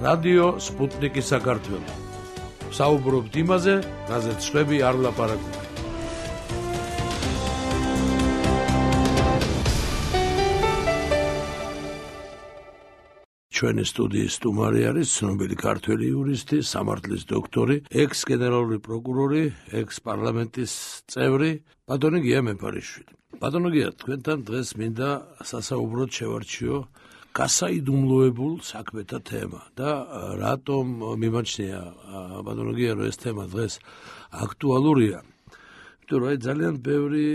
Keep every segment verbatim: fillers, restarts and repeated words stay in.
რადიო სპუტნიკი საქართველო. საუბრობთ იმაზე, რაზეც სხვები არ ლაპარაკობენ. ჩვენი სტუდიის სტუმარი არის ცნობილი ქართველი იურისტი, სამართლის დოქტორი, ექს-გენერალური პროკურორი, ექს-პარლამენტის წევრი, ბატონი გია მეფარიშვილი. ბატონო გია, თქვენთან დღეს მინდა სასაუბროდ შევარჩიო გასაიდუმლოებულ საქმეთა თემა და რატომ მიმაჩნია ბატონო გია, რომ ეს თემა დღეს აქტუალურია. იმიტომ რომ ძალიან ბევრი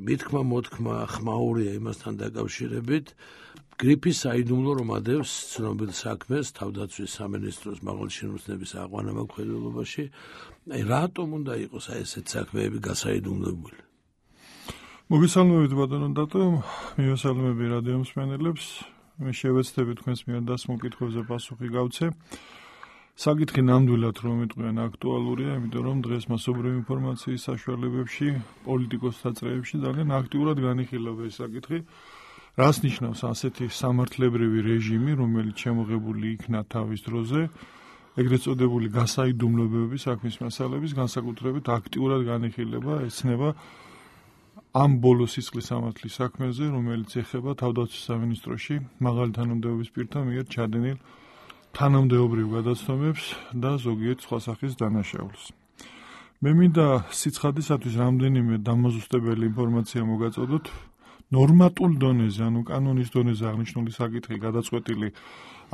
მithქმა მოთქმა ხმაურია იმასთან დაკავშირებით. გრიფის საიდუმლო რომ ადევს ცნობილ საქმეს თავდაცვის სამინისტროს მაღალჩინოსნების აყვანამოქმედებაში. აი რატომ უნდა იყოს აი ესეთ საქმეები გასაიდუმლოებული? მოგესალმებით ბატონო დატო, მივესალმები რადიო მსმენელებს. მე შევეცდები თქვენს მიერ დასმულ კითხვებზე პასუხი გავცე. საკითხი ნამდვილად რომ მიტყვიან აქტუალურია, იმიტომ რომ დღეს მასობრივი ინფორმაციის საშუალებებში, პოლიტიკოსთა წრეებში ძალიან აქტიურად განიხილება ეს საკითხი. რას ნიშნავს ასეთი სამართლებრივი რეჟიმი, რომელიც შემოღებული იქნა თავის დროზე, ეგრეთ წოდებული გასაიდუმლოებების საქმის მასალების განსაკუთრებით აქტიურად განიხილება, ეცნება ამ ბოლო სისხლის სამართლის საქმეზე, რომელიც ეხება თავდაცვის სამინისტროში მაღალი თანამდებობის პირთა მიერ ჩადენილ თანამდებობრივ გადაცემებს და ზოგიერთ სხვა სახის დანაშაულს. მე მინდა სიცხადისათვის რამდენიმე დამაზუსტებელი ინფორმაცია მოგაწოდოთ. ნორმატულ დონეზე, ანუ კანონის დონეზე აღნიშნული საკითხი გადაწყვეტილი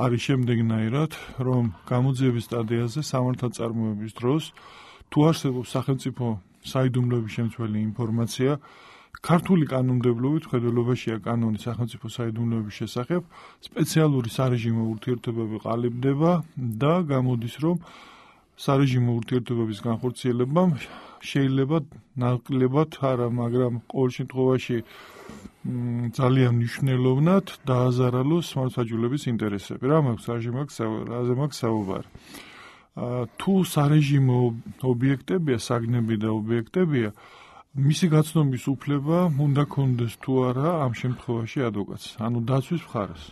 არის შემდეგნაირად, რომ გამოძიების სტადიაზე სამართალწარმოების დროს თუ არსებობს სახელმწიფო საიდუმლოების შემცველი ინფორმაცია, ქართული კანონმდებლობით მხედველობაშია კანონი სახელმწიფო საიდუმლოების შესახებ, სპეციალური სარეჟიმო ურთიერთობები ყალიბდება და გამოდის, რომ სარეჟიმო ურთიერთობების განხორციელებამ შეიძლება ნაკლებად არა, მაგრამ ყოველ შემთხვევაში ძალიან მნიშვნელოვნად დააზარალოს მართლმსაჯულების ინტერესები. რა მაქვს რაზე მაქვს საუბარი? თუ სარეჟიმო ობიექტებია, საგნები და ობიექტებია, მისი გაცნობის უფლება უნდა კონდეს თუ არა ამ შემთხვევაში ადვოკატს, ანუ დაცვის მხარეს.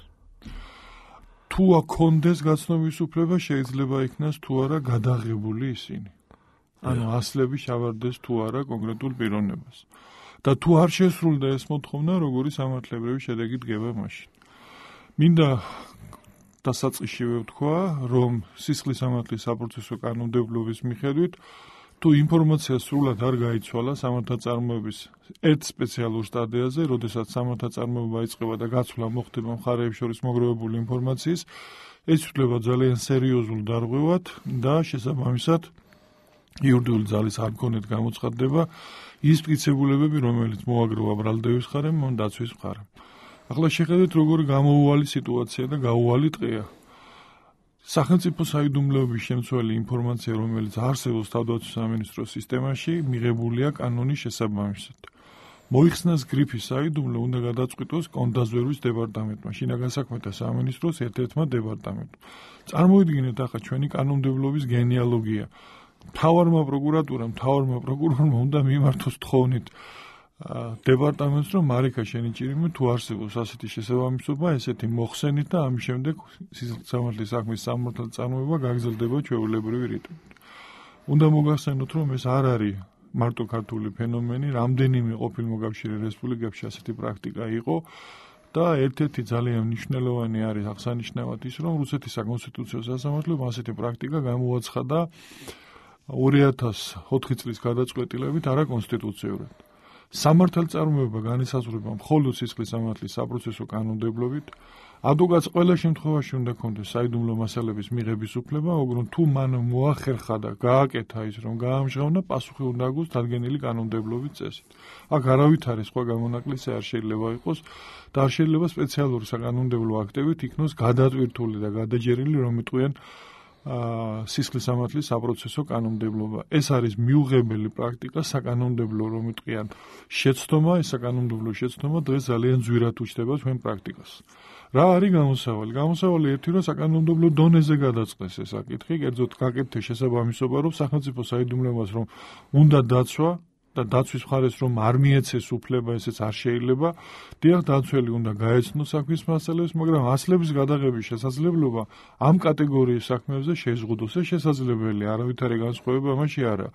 თუ აქონდეს გაცნობის უფლება, შეიძლება იქნას თუ არა გადაღებული ისინი. ანუ ასლები შავარდეს თუ არა კონკრეტულ პიროვნებას. და თუ არ შესრულდა ეს მოთხოვნა, როგორი სამართლებრივი შედეგი დგება მაშინ. მინდა დასაწყისშივე ვთქვა, რომ სისხლის სამართლის საპროცესო კანონმდებლობის მიხედვით, თუ ინფორმაცია სრულად არ გაიცვალა სამართალწარმოების ერთ სპეციალურ სტადიაზე, როდესაც სამართალწარმოება იწყება და გაცვლა მოხდება მხარეებს შორის მოგროვებული ინფორმაციის, ეს ითვლება ძალიან სერიოზულ დარღვევად და შესაბამისად იურიდიული ძალის არ მქონეთ გამოცხადდება ის მტკიცებულებები, რომელიც მოაგროვა ბრალდების მხარემ, ან დაცვის მხარემ. ახლა შეხედეთ, როგორი გამოუვალი სიტუაცია და გაუვალი ტყეა. სახელმწიფო საიდუმლოების შემცველი ინფორმაცია, რომელიც არსებობს თავდაცვის სამინისტროს სისტემაში, მიღებულია კანონის შესაბამისად. მოიხსნას გრიფის საიდუმლო უნდა გადაწყვიტოს კონდაზვერვის დეპარტამენტმა, შინაგან საქმეთა სამინისტროს ერთ-ერთმა დეპარტამენტმა. წარმოიდგინეთ ახლა ჩვენი კანონმდებლობის გენეალოგია. მთავარმა პროკურატურამ, მთავარმა პროკურორმა უნდა მიმართოს თხოვნით დეპარტამენტს, რომ მარიქა შენი ჭირიმე თუ არსებობს ასეთი შესაბამისობა, ესეთი მოხსენით და ამის შემდეგ სამართლის საქმის სამართალწარმოება გაგრძელდება ჩვეულებრივი რიტმით. უნდა მოგახსენოთ, რომ ეს არ არის მარტო ქართული ფენომენი, რამდენიმე ყოფილ მოკავშირე რესპუბლიკებში ასეთი პრაქტიკა იყო და ერთ-ერთი ძალიან მნიშვნელოვანი არის აღსანიშნავად ის, რომ რუსეთის საკონსტიტუციო სასამართლომ ასეთი პრაქტიკა გამოაცხადა ორი ათას ოთხი წლის გადაწყვეტილებით არაკონსტიტუციურად. სამართალწარმოება განისაზღვრება მხოლოდ სისხლის სამართლის საპროცესო კანონმდებლობით. ადვოკატს ყველა შემთხვევაში უნდა ქონდეს საიდუმლო მასალების მიღების უფლება, მაგრამ თუ მან მოახერხა და გააკეთა ის, რომ გაამჟღავნა, პასუხი უნდა აგოს დადგენილი კანონმდებლობის წესით. აქ არავითარი სხვა გამონაკლისი არ შეიძლება იყოს და არ შეიძლება სპეციალური საკანონმდებლო აქტებით იქნოს გადატვირთული და გადაჯერილი, რომ იტყვიან სისხლის სამართლის საპროცესო კანონმდებლობა. ეს არის მიუღებელი პრაქტიკა, საკანონმდებლო რომ იტყვიან შეცდომა, ეს საკანონმდებლო შეცდომა დღეს ძალიან ძვირად უჩნდება ჩვენ პრაქტიკას. რა არის გამოსავალი? გამოსავალი ერთი, რომ საკანონმდებლო დონეზე გადაწყდეს ეს საკითხი, კერძოდ გაკეთდეს შესაბამისობა, რომ სახელმწიფო საიდუმლოებას რომ უნდა დაცვა და დაცვის მხარეს რომ არ მიეცეს უფლება, ესეც არ შეიძლება. დიახ, დაცველი უნდა გაეცნოს საქმის მასალებს, მაგრამ ასლების გადაღების შესაძლებლობა ამ კატეგორიის საქმეებზე შეზღუდოს. ეს შესაძლებელია, არავითარი განსხვავება ამაში არა.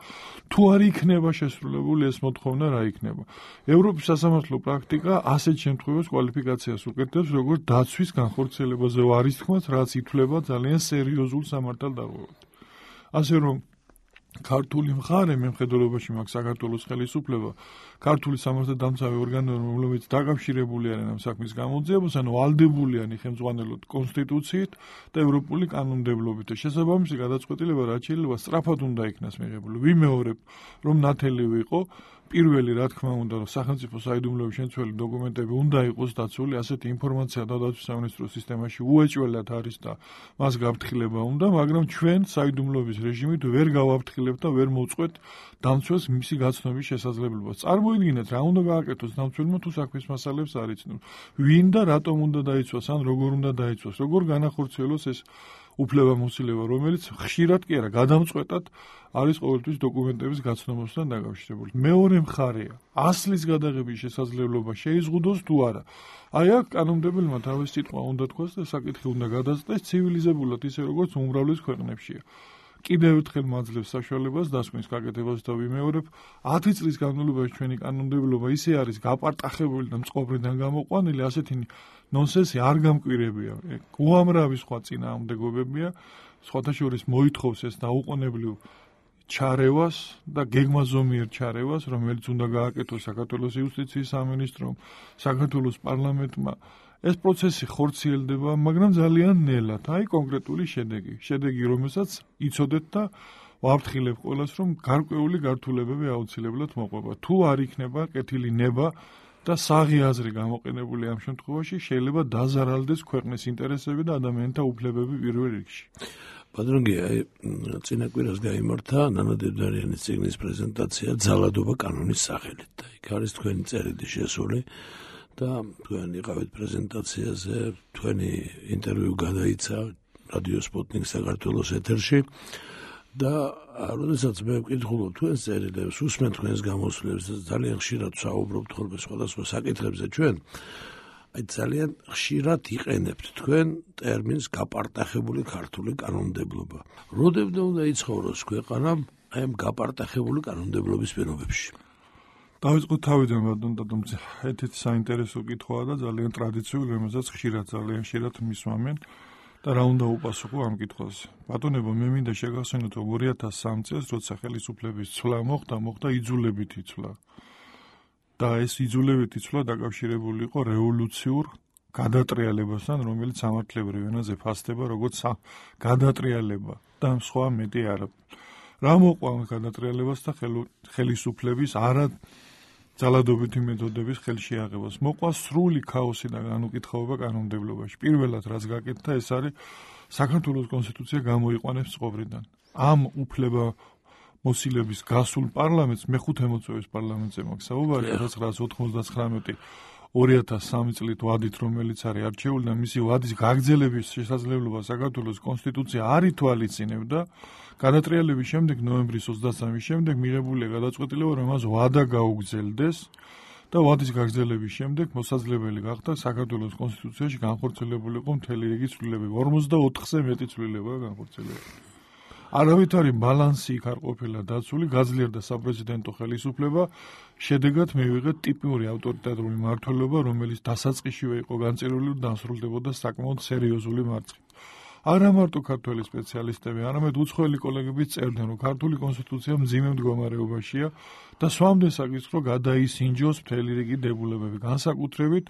თუ არ იქნება შესრულებული ეს მოთხოვნა, რა იქნება? ევროპის სასამართლო პრაქტიკა ასეთ შემთხვევებს კვალიფიკაციას უკეთებს, როგორც დაცვის განხორციელებაზე არის თქმაც, რაც ითვლება ძალიან სერიოზულ სამართალდაღობად. ასე რომ ქართული მხარე მემხედველობაში მაქვს საქართველოს ხელისუფლება, ქართული სამართალდამცავი ორგანოები, რომლებიც დაკავშირებული არიან ამ საქმის გამოძიებას, ანუ ვალდებულიანი ხელმძღვანელოთ კონსტიტუციით და ევროპული კანონმდებლობით. შესაბამისი გადაწყვეტილება რაც შეიძლება სწრაფად უნდა იქნას მიღებული. ვიმეორებ, რომ ნათელი ვიყო, პირველი რა თქმა უნდა, სახელმწიფო საიდუმლოების შემცველი დოკუმენტები უნდა იყოს დაცული, ასეთი ინფორმაცია დაცვის სამინისტროს სისტემაში უეჭველად არის და მას გაფრთხილება უნდა, მაგრამ ჩვენ საიდუმლოების რეჟიმით ვერ გავაფრთხილებთ და ვერ მოვწყვეთ დამცველს მისი გაცნობის შესაძლებლობას. წარმოიდგინეთ, რა უნდა გააკეთოს დამცველმა თუ საქმის მასალებს არ იცნობს. ვინ და რატომ უნდა დაიცვას, ან როგორ უნდა დაიცვას, როგორ განახორციელოს ეს უფლებამოსილება, რომელიც ხშირად კი არა, გადამწყვეტად არის ყოველთვის დოკუმენტების გაცნობასთან დაკავშირებული. მეორე მხარეა, ასლის გადაღების შესაძლებლობა შეიზღუდოს თუ არა. აი აქ კანონმდებელმა თავის სიტყვა უნდა თქვას და საკითხი უნდა გადაწყვეტეს ცივილიზებულად, ისე როგორც უმრავლეს ქვეყნებშია. კიდევ ერთხელ მაძლევს საშუალებას დასკვნის გაკეთებას და ვიმეორებ, ათი წლის განმავლობაში ჩვენი კანონმდებლობა ისე არის გაპარტახებული და მწყობრიდან გამოყვანილი, ასეთი ნონსენსი არ გამკვირებია. უამრავი სხვა წინააღმდეგობებია, სხვათა შორის მოითხოვს ეს დაუყოვნებლივ ჩარევას და გეგმაზომიერ ჩარევას, რომელიც უნდა გააკეთოს საქართველოს იუსტიციის სამინისტრომ, საქართველოს პარლამენტმა. ეს პროცესი ხორციელდება, მაგრამ ძალიან ნელად. აი კონკრეტული შედეგი. შედეგი, რომელსაც იცოდეთ და ვაფრთხილებ ყველას, რომ გარკვეული გართულებები აუცილებლად მოყვება. თუ არ იქნება კეთილი ნება და საღი აზრი გამოყენებული ამ შემთხვევაში, შეიძლება დაზარალდეს ქვეყნის ინტერესები და ადამიანთა უფლებები პირველ რიგში. Πατρონგია, წინა კვირას გაიმართა ნანა დედარიანის წიგნის პრეზენტაცია ძალადობა კანონის სახელით. იქ არის თქვენი წერილი შესული და თქვენ იყავით პრეზენტაციაზე, თქვენი ინტერვიუ გადაიცა რადიო სპუტნიკ საქართველოს ეთერში და როდესაც მე ვკითხულობ თქვენს წერილებს, უსმენ თქვენს გამოსვლებს და ძალიან ხშირად ვსაუბრობთ ხოლმე სხვადასხვა საკითხებზე ჩვენ აი ძალიან ხშირად იყენებთ თქვენ ტერმინს გაპარტახებული ქართული კანონმდებლობა. როდემდე უნდა იცხოვროს ქვეყანა აი ამ გაპარტახებული კანონმდებლობის პირობებში? დავიწყოთ თავიდან, ბატონ დადუმძე. ერთ-ერთი საინტერესო კითხვაა და ძალიან ტრადიციული, რომელსაც ხშირად ძალიან ხშირად მისვამენ და რა უნდა უპასუხო ამ კითხვაზე. ბატონებო, მე მინდა შეგახსენოთ, რომ ორი ათას სამი წელს, როცა ხელისუფლების ცვლა მოხდა, მოხდა იძულებითი ცვლა. და ეს იძულებითი ცვლა დაკავშირებული იყო რევოლუციურ გადატრიალებასთან, რომელიც სამართლებრივ ენაზე ფასდება როგორც გადატრიალება და სხვა მეტი არა. რა მოყვა ამ გადატრიალებას და ხელისუფლების არა ძალადობითი მეთოდების ხელში აღებას? მოყვა სრული ქაოსი და განუკითხაობა კანონმდებლობაში. პირველად რაც გაკეთდა, ეს არის საქართველოს კონსტიტუცია გამოიყვანებს წყობრიდან. ამ უფლება მოსილების გასულ პარლამენტს მეხუთე მოწვევის პარლამენტზე მაქვს საუბარი ათას ცხრაასი ოთხმოცდათხრამეტი ორი ათას სამი წლით ვადით, რომელიც არის არჩეული და მისი ვადის გაგრძელების შესაძლებლობა საქართველოს კონსტიტუცია არ ითვალისწინებდა. გადატრიალების შემდეგ ნოემბრის ოცდასამის შემდეგ მიღებულია გადაწყვეტილება, რომ მას ვადა გაუგრძელდეს და ვადის გაგრძელების შემდეგ მოსაძლებელი გახდა საქართველოს კონსტიტუციაში განხორციელებულიყო მთელი რიგი ცვლილებები. ორმოცდაოთხზე მეტი ცვლილებაა განხორციელებული. არავითარი ბალანსი იქ არ ყოფილა დაცული, გაძლიერდა საპრეზიდენტო ხელისუფლება, შედეგად მივიღეთ ტიპური ავტორიტარული მმართველობა, რომელიც დასაწყისშივე იყო განწირული და დასრულდებოდა საკმაოდ სერიოზული მარცხით. არა მარტო ქართველი სპეციალისტები, არამედ უცხოელი კოლეგებიც წერდნენ, რომ ქართული კონსტიტუცია მძიმე მდგომარეობაშია და სვამდნენ საკითხს, რომ გადაისინჯოს მთელი რიგი დებულებები, განსაკუთრებით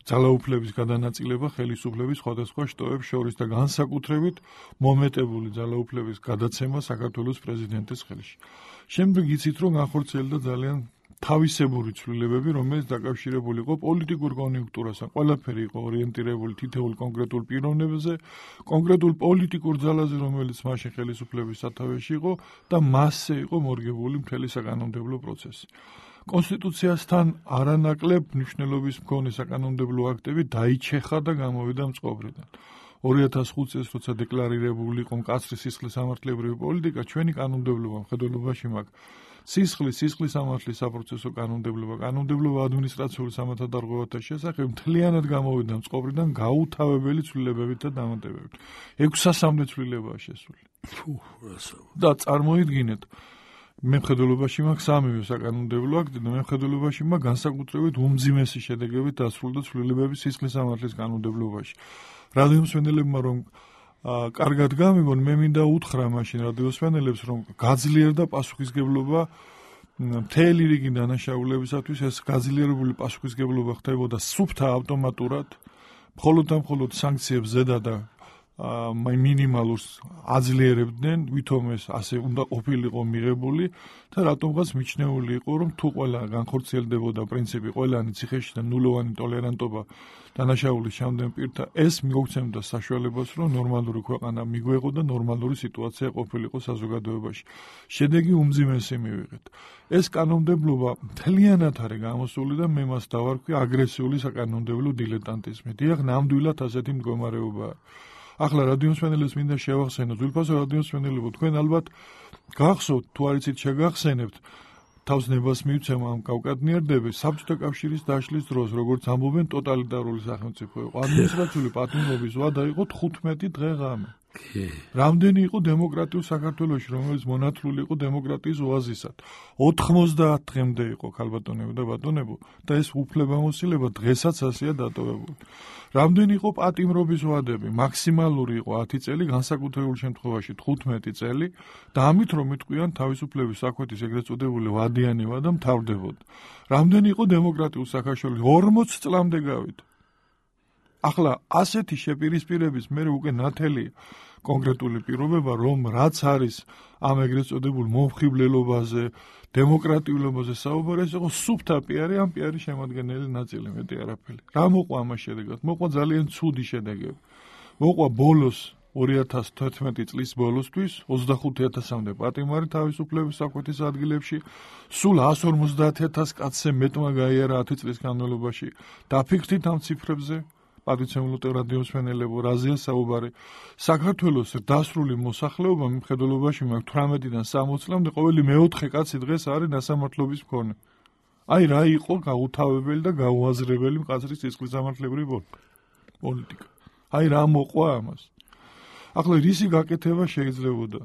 ძალაუფლების გადანაწილება ხელისუფლების სხვადასხვა შტოებს შორის და განსაკუთრებით მომეტებული ძალაუფლების გადაცემა საქართველოს პრეზიდენტის ხელში. შემდეგ იცით, რომ განხორციელდა ძალიან თავისებური ცვლილებები, რომელიც დაკავშირებული იყო პოლიტიკურ კონიუნქტურასთან. ყველაფერი იყო ორიენტირებული თითოეულ კონკრეტულ პიროვნებაზე, კონკრეტულ პოლიტიკურ ძალაზე, რომელიც მაშინ ხელისუფლების სათავეში იყო და მასზე იყო მორგებული მთელი საკანონმდებლო პროცესი. კონსტიტუციასთან არანაკლებ მნიშვნელობის მქონე საკანონმდებლო აქტები დაიჩეხა და გამოვიდა მწყობრიდან. ორი ათას ხუთი წელს, როცა დეკლარირებული იყო მკაცრი სისხლის სამართლებრივი პოლიტიკა, ჩვენი კანონმდებლობა მხედველობაში მაქვს სისხლის, სისხლის სამართლის საპროცესო კანონმდებლობა, კანონმდებლობა ადმინისტრაციული სამართალდარღვევათა შესახებ მთლიანად გამოვიდა წყობრიდან გაუთავებელი ცვლილებებით და დამატებებით. ექვსასამდე ცვლილებაა შესული. ფუ, რასაო. და წარმოიდგინეთ, მემხედველობაში მაქვს სამივე საკანონმდებლო აქტი და მემხედველობაში მაქვს განსაკუთრებით უმძიმესი შედეგებით დასრულდა ცვლილებები სისხლის სამართლის კანონმდებლობაში. რადიომსმენელებმა რომ კარგად გამიგონ, მე მინდა უთხრა მაშინ რადიოსმენელებს, რომ გაძლიერდა პასუხისგებლობა მთელი რიგი დანაშაულებისათვის. ეს გაძლიერებული პასუხისგებლობა ხდებოდა სუფთა ავტომატურად, მხოლოდ და მხოლოდ სანქციებს ზედა და მინიმალურს აძლიერებდნენ, ვითომ ეს ასე უნდა ყოფილიყო მიღებული და რატომღაც მიჩნეული იყო, რომ თუ ყველა განხორციელდებოდა პრინციპი ყველანი ციხეში და ნულოვანი ტოლერანტობა დანაშაულის ჩამდენ პირთა, ეს მიგოცემდა საშუალებას, რომ ნორმალური ქვეყანა მიგვეღო და ნორმალური სიტუაცია ყოფილიყო საზოგადოებაში. შედეგი უმძიმესი მივიღეთ. ეს კანონმდებლობა მთლიანად არის გამოსული და მე მას დავარქვი აგრესიული საკანონმდებლო დილეტანტიზმი. დიახ, ნამდვილად ასეთი მდგომარეობაა. ახლა რადიომსმენელებს მინდა შევახსენო, ძვირფასო რადიომსმენელებო, თქვენ ალბათ გახსოვთ, თუ არ იცით შეგახსენებთ, თავს ნებას მივცემ ამ კავკადნიარდები საბჭოთა კავშირის დაშლის დროს, როგორც ამბობენ, ტოტალიტარული სახელმწიფო იყო. ადმინისტრაციული პატიმრობის ვადა იყო თხუთმეტი დღე ღამე. რამდენი იყო დემოკრატიულ საქართველოში, რომელიც მონათლული იყო დემოკრატიის ოაზისად. ოთხმოცდაათ დღემდე იყო ქალბატონებო და ბატონებო და ეს უფლებამოსილება დღესაც ასეა დატოვებული. რამდენი იყო პატიმრობის ვადები, მაქსიმალური იყო ათი წელი, განსაკუთრებულ შემთხვევაში თხუთმეტი წელი და ამით რომ იტყვიან თავისუფლების საკვეთის ეგრეთ წოდებული ვადიანი ვადა მთავრდებოდა. რამდენი იყო დემოკრატიულ საქართველოში, ორმოც წლამდე გავიდა. ახლა ასეთი შეპირისპირების მე უკვე ნათელია კონკრეტული პირობება, რომ რაც არის ამ ეგრეთ წოდებულ მომხიბლელობაზე, დემოკრატიულობაზე საუბარი, ეს იყო სუფთა პიარი, ამ პიარის შემადგენელი ნაწილი, მეტი არაფერი. რა მოყვა ამას შედეგად? მოყვა ძალიან ცუდი შედეგები. მოყვა ბოლოს ორი ათას თერთმეტი წლის ბოლოსთვის ოცდახუთი ათასამდე პატიმარი თავისუფლების საკვეთის ადგილებში, სულ εκατს ორმოცდაათ ათას კაცზე მეტმა გაიარა ათი წლის განმავლობაში. დაფიქრდით ამ ციფრებზე? პატრიცემულო რადიოსმენელებო, რაზეა საუბარი? საქართველოს დასრული მოსახლეობა მხედველობაში მაქვს თვრამეტიდან სამოცი წლამდე ყოველი მეოთხე კაცი დღეს არის დასამართლობის მქონე. აი რა იყო გაუთავებელი და გაუაზრებელი მკაცრის სისხლის სამართლებრივი პოლიტიკა. აი რა მოყვა ამას. ახლა რისი გაკეთება შეიძლებოდა?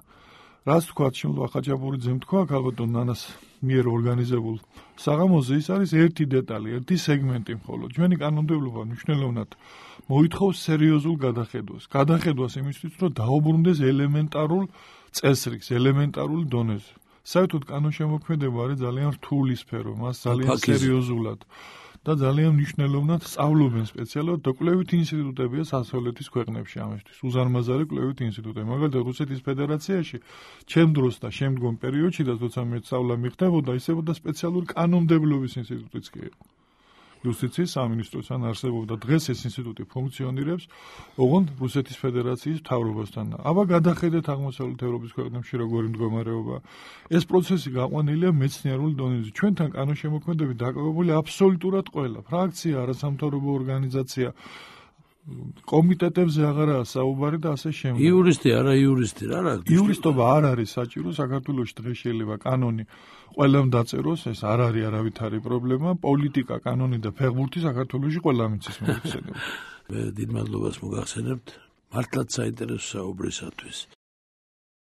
რაც თქვათ შემდგომ ხაჭაპურიძემ თქვა ქალბატონ ნანას მიერ ორგანიზებულ საღამოზე, ის არის ერთი დეტალი, ერთი სეგმენტი მხოლოდ. ჩვენი კანონმდებლობა მნიშვნელოვნად მოითხოვს სერიოზულ გადახედვას. გადახედვას იმისთვის, რომ დაუბრუნდეს ელემენტარულ წესრიგს, ელემენტარულ დონეზე. საერთოდ კანონშემოქმედება არის ძალიან რთული სფერო, მას ძალიან სერიოზულად და ძალიან მნიშვნელოვნად სწავლობენ სპეციალურად და კვლევითი ინსტიტუტებია სასწავლეთის ქვეყნებში ამისთვის. უზარმაზარი კვლევითი ინსტიტუტები. მაგალითად, რუსეთის ფედერაციაში ჩემ დროს და შემდგომ პერიოდში და თორსა მე სწავლა მიხდებოდა, ისებოდა სპეციალური კანონმდებლობის ინსტიტუტიც კი იყო. იუსტიციის სამინისტროსთან არსებობდა. დღეს ეს ინსტიტუტი ფუნქციონირებს ოღონდ რუსეთის ფედერაციის მთავრობასთან. აბა გადახედეთ აღმოსავლეთ ევროპის ქვეყნებში როგორი მდგომარეობა. ეს პროცესი გაყვანილია მეცნიერულ დონეზე. ჩვენთან კანონშემოქმედებით დაკავებული აბსოლუტურად ყველა ფრაქცია, არასამთავრობო ორგანიზაცია, კომიტეტებზე აღარაა საუბარი და ასე შემდეგ. იურისტი, არა იურისტი, რა რა. იურისტობა არ არის საჭირო საქართველოში დღეს შეიძლება კანონი ყველამ დაწეროს, ეს არ არის არავითარი პრობლემა. პოლიტიკა, კანონი და ფეხბურთი საქართველოში ყველამ იცის მოიხსენებოდა. მე დიდ მადლობას მოგახსენებთ მართლაც საინტერესო საუბრისათვის.